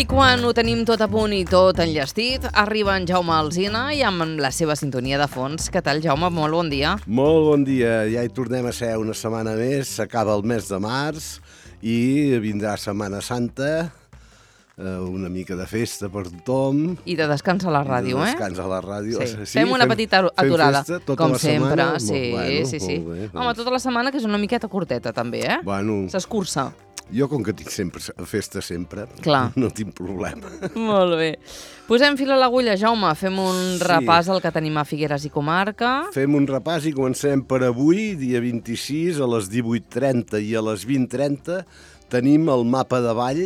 I quan ho tenim tot a punt i tot enllestit, arriba en Jaume Alsina i amb la seva sintonia de fons. Què tal, Jaume? Molt bon dia. Molt bon dia. Ja hi tornem a ser una setmana més. S'acaba el mes de març i vindrà Setmana Santa, una mica de festa per tothom. I de descans a la ràdio, I de descans a la ràdio. Sí. Fem una petita aturada, fem festa, com sempre. Setmana. Sí. Home, tota la setmana, que és una miqueta curteta, també, eh? Bueno, s'escurça. Jo, com que tinc festa sempre, clar, no tinc problema. Molt bé. Posem fil a l'agulla, Jaume. Fem un repàs al que tenim a Figueres i comarca. Fem un repàs i comencem per avui, dia 26, a les 18:30 i a les 20:30. Tenim el mapa de ball,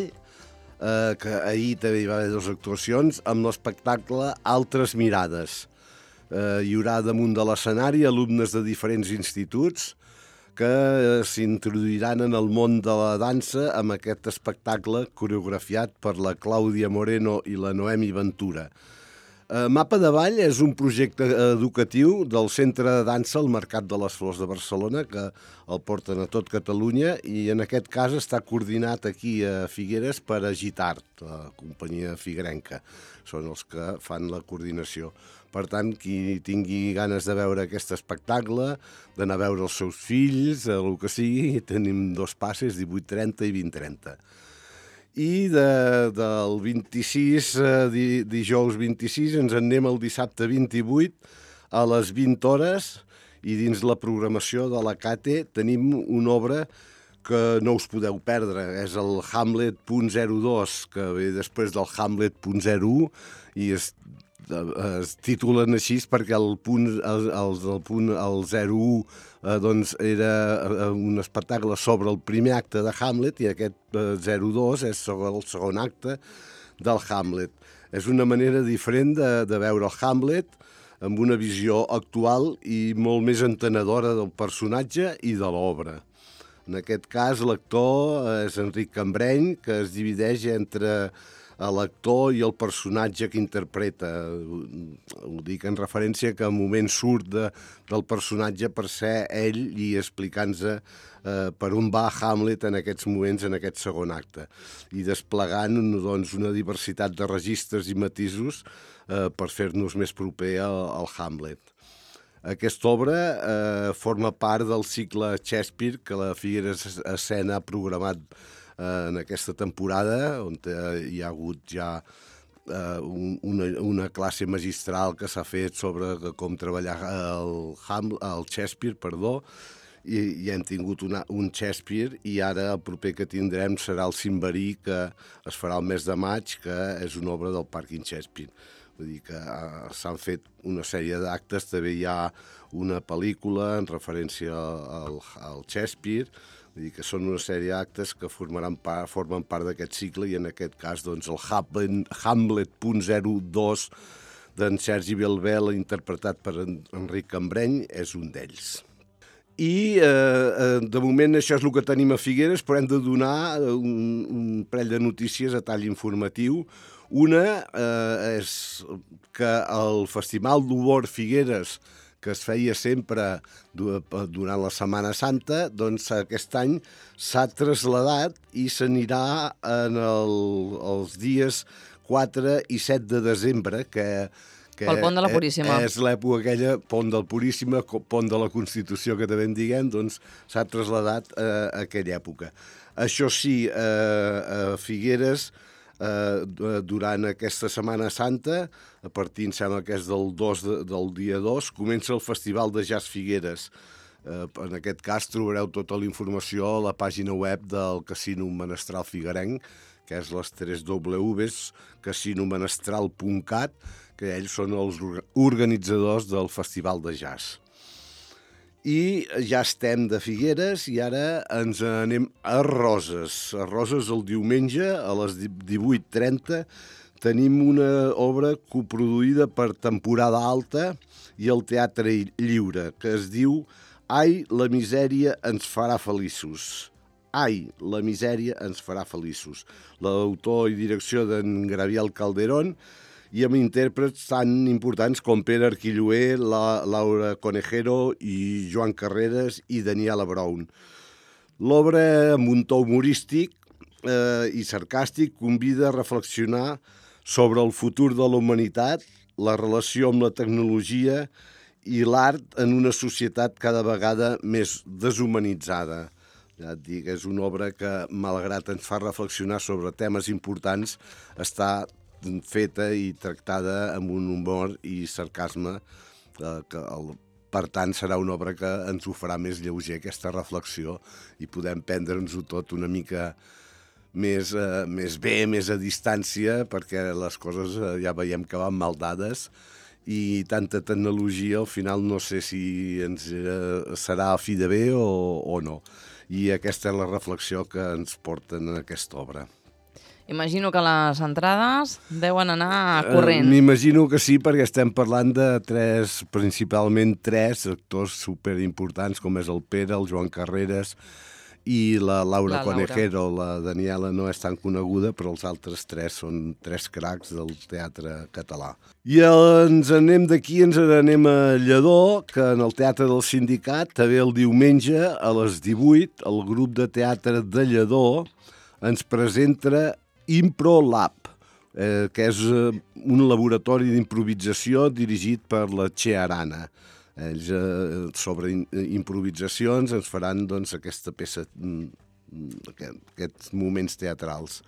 que ahir també hi va haver 2 actuacions, amb l'espectacle Altres Mirades. Hi haurà damunt de l'escenari alumnes de diferents instituts que s'introduiran en el món de la dansa amb aquest espectacle coreografiat per la Clàudia Moreno i la Noemi Ventura. Mapa de Ball és un projecte educatiu del Centre de Dansa al Mercat de les Flors de Barcelona, que el porten a tot Catalunya, i en aquest cas està coordinat aquí a Figueres per Agitart, la companyia figuerenca. Són els que fan la coordinació. Per tant, qui tingui ganes de veure aquest espectacle, d'anar a veure els seus fills, el que sigui, tenim 2 passes, 18:30 i 20:30. I del 26, dijous 26, ens en anem el dissabte 28 a les 20 hores, i dins la programació de la CATE tenim una obra que no us podeu perdre. És el Hamlet.02, que ve després del Hamlet.01, i es titulen així perquè el 01 doncs era un espectacle sobre el primer acte de Hamlet, i aquest 02 és sobre el segon acte del Hamlet. És una manera diferent de veure el Hamlet, amb una visió actual i molt més entenedora del personatge i de l'obra. En aquest cas, l'actor és Enric Cambreny, que es divideix entre l'actor i el personatge que interpreta. Ho dic en referència que en moment surt del personatge per ser ell i explicant-se per on va Hamlet en aquests moments, en aquest segon acte, i desplegant doncs, una diversitat de registres i matisos per fer-nos més proper al Hamlet. Aquesta obra forma part del cicle Shakespeare que la Figueres Escena ha programat en aquesta temporada, on hi ha hagut ja una classe magistral que s'ha fet sobre com treballar el Shakespeare, i hem tingut un Shakespeare, i ara el proper que tindrem serà el Cimberí, que es farà el mes de maig, que és una obra del Pàrquing Shakespeare. Vull dir que s'han fet una sèrie d'actes, també hi ha una pel·lícula en referència al Shakespeare. Vull dir que són una sèrie d'actes que formen part d'aquest cicle, i en aquest cas doncs, el Hamlet.02 d'en Sergi Belbel, interpretat per Enric Cambreny, és un d'ells. I de moment això és el que tenim a Figueres, però hem de donar un parell de notícies a tall informatiu. Una és que el Festival d'Humor Figueres, que es feia sempre durant la Setmana Santa, doncs aquest any s'ha traslladat i s'anirà els dies 4 i 7 de desembre, que pel Pont de la Puríssima. És l'època aquella, Pont del Puríssima, Pont de la Constitució, que també en diguem, doncs s'ha traslladat a aquella època. Això sí, a Figueres, durant aquesta Setmana Santa, a partir, em sembla que és del dia 2, comença el Festival de Jazz Figueres. En aquest cas trobareu tota la informació a la pàgina web del Casino Menestral Figuerenc, que és les 3 Ws, casinomenestral.cat, que ells són els organitzadors del Festival de Jazz. I ja estem de Figueres i ara ens anem a Roses. A Roses el diumenge a les 18:30 tenim una obra coproduïda per Temporada Alta i el Teatre Lliure, que es diu Ai, la misèria ens farà feliços. Ai, la misèria ens farà feliços. L'autor i direcció d'en Gabriel Calderón, i amb intèrprets tan importants com Pere Arquilloé, Laura Conejero i Joan Carreras i Daniela Brown. L'obra, amb un to humorístic, i sarcàstic, convida a reflexionar sobre el futur de la humanitat, la relació amb la tecnologia i l'art en una societat cada vegada més deshumanitzada. Ja et dic, és una obra que, malgrat ens fa reflexionar sobre temes importants, està feta i tractada amb un humor i sarcasme per tant, serà una obra que ens ho farà més lleuger, aquesta reflexió, i podem prendre'ns-ho tot una mica més bé, més a distància, perquè les coses ja veiem que van mal dades i tanta tecnologia al final no sé si ens serà a fi de bé o no. I aquesta és la reflexió que ens porten en aquesta obra. Imagino que les entrades deuen anar corrent. M'imagino que sí, perquè estem parlant de principalment tres actors superimportants, com és el Pere, el Joan Carreras i la Laura Conejero. La Daniela no és tan coneguda, però els altres tres són tres cracs del teatre català. I ens anem d'aquí, ens anem a Lledó, que en el Teatre del Sindicat, també el diumenge, a les 18, el grup de teatre de Lledó ens presenta Impro Lab, que és un laboratori d'improvisació dirigit per la Che Arana. Ells sobre improvisacions ens faran doncs, aquesta peça, aquests moments teatrals.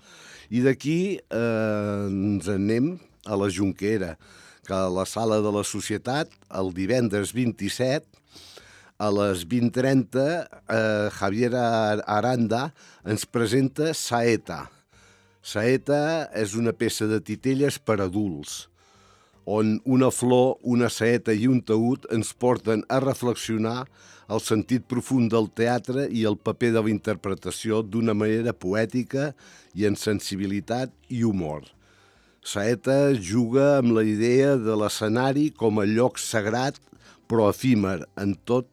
I d'aquí ens anem a la Jonquera, que a la Sala de la Societat, el divendres 27, a les 20:30, Javier Aranda ens presenta Saeta. Saeta és una peça de titelles per adults, on una flor, una saeta i un taüt ens porten a reflexionar el sentit profund del teatre i el paper de la interpretació d'una manera poètica i amb sensibilitat i humor. Saeta juga amb la idea de l'escenari com a lloc sagrat però efímer en tot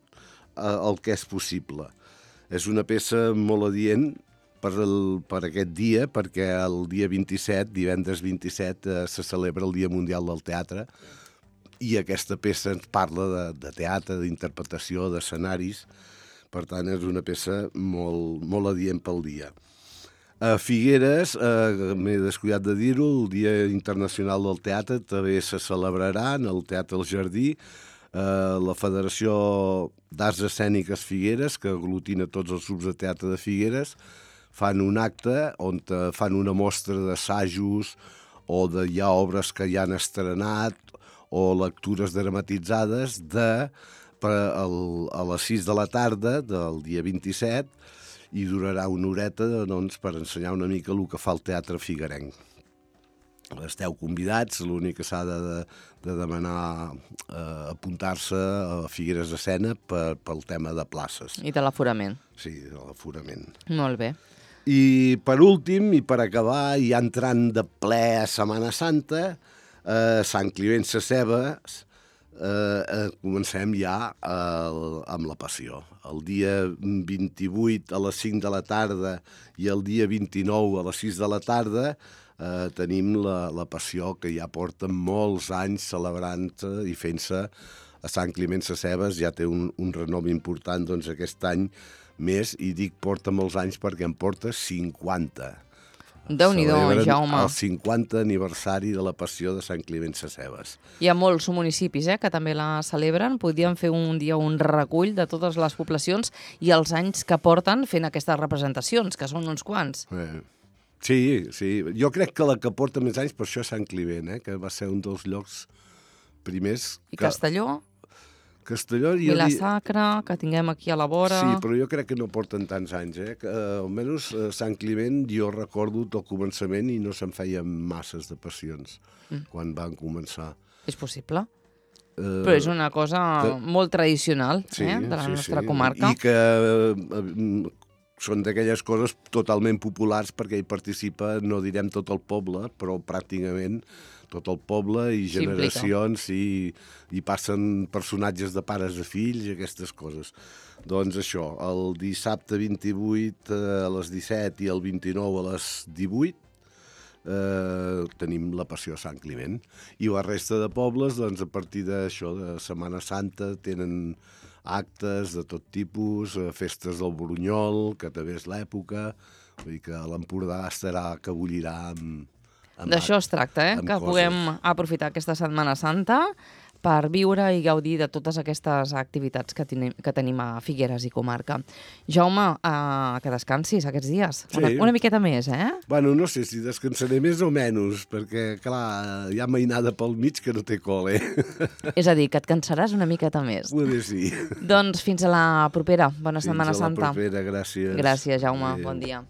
el que és possible. És una peça molt adient per aquest dia, perquè el dia 27, divendres 27, se celebra el Dia Mundial del Teatre i aquesta peça ens parla de teatre, d'interpretació, d'escenaris. Per tant, és una peça molt adient pel dia. A Figueres, m'he descuidat de dir-ho, el Dia Internacional del Teatre també se celebrarà en el Teatre El Jardí. La Federació d'Arts Escèniques Figueres, que aglutina tots els grups de teatre de Figueres, fan un acte on fan una mostra d'assajos o hi ha obres que ja han estrenat o lectures dramatitzades a les 6 de la tarda del dia 27 i durarà una horeta doncs, per ensenyar una mica el que fa el teatre figuerenc. Esteu convidats, l'únic que s'ha de demanar apuntar-se a Figueres d'Escena pel tema de places. I de l'aforament. Sí, de l'aforament. Molt bé. I per últim, i per acabar, ja entrant de ple a Setmana Santa, Sant Climent Sescebes, comencem ja amb la Passió. El dia 28 a les 5 de la tarda i el dia 29 a les 6 de la tarda tenim la Passió, que ja porta molts anys celebrant-se i fent-se a Sant Climent Sescebes. Ja té un renom important doncs, aquest any més, i dic porta molts anys perquè en porta 50. Déu-n'hi-do, Jaume. El 50 aniversari de la Passió de Sant Climent Sescebes. Hi ha molts municipis que també la celebren. Podríem fer un dia un recull de totes les poblacions i els anys que porten fent aquestes representacions, que són uns quants. Sí. Jo crec que la que porta més anys per això és Sant Climent, que va ser un dels llocs primers. I Castelló? Castelló... Vila-sacra, que tinguem aquí a la vora... Sí, però jo crec que no porten tants anys, que, almenys Sant Climent jo recordo del començament i no se'n feien masses de passions quan van començar. És possible. Però és una cosa molt tradicional de la nostra comarca. I que són d'aquelles coses totalment populars perquè hi participa, no direm tot el poble, però pràcticament tot el poble i generacions i passen personatges de pares a fills i aquestes coses. Doncs això, el dissabte 28 a les 17 i el 29 a les 18 tenim la Passió a Sant Climent. I la resta de pobles, doncs, a partir d'això, de Setmana Santa, tenen actes de tot tipus, festes del Borunyol, que també és l'època, vull dir que l'Empordà estarà, que bullirà amb D'això es tracta, amb que coses. puguem aprofitar aquesta Setmana Santa per viure i gaudir de totes aquestes activitats que tenim a Figueres i comarca. Jaume, que descansis aquests dies. Sí. Una miqueta més, eh? Bueno, no sé si descansaré més o menys, perquè, clar, hi ha mainada pel mig que no té col·le. És a dir, que et cansaràs una miqueta més. Poder sí. Doncs fins a la propera. Bona Setmana Fins a la Santa. propera, gràcies. Gràcies, Jaume. Adéu. Bon dia.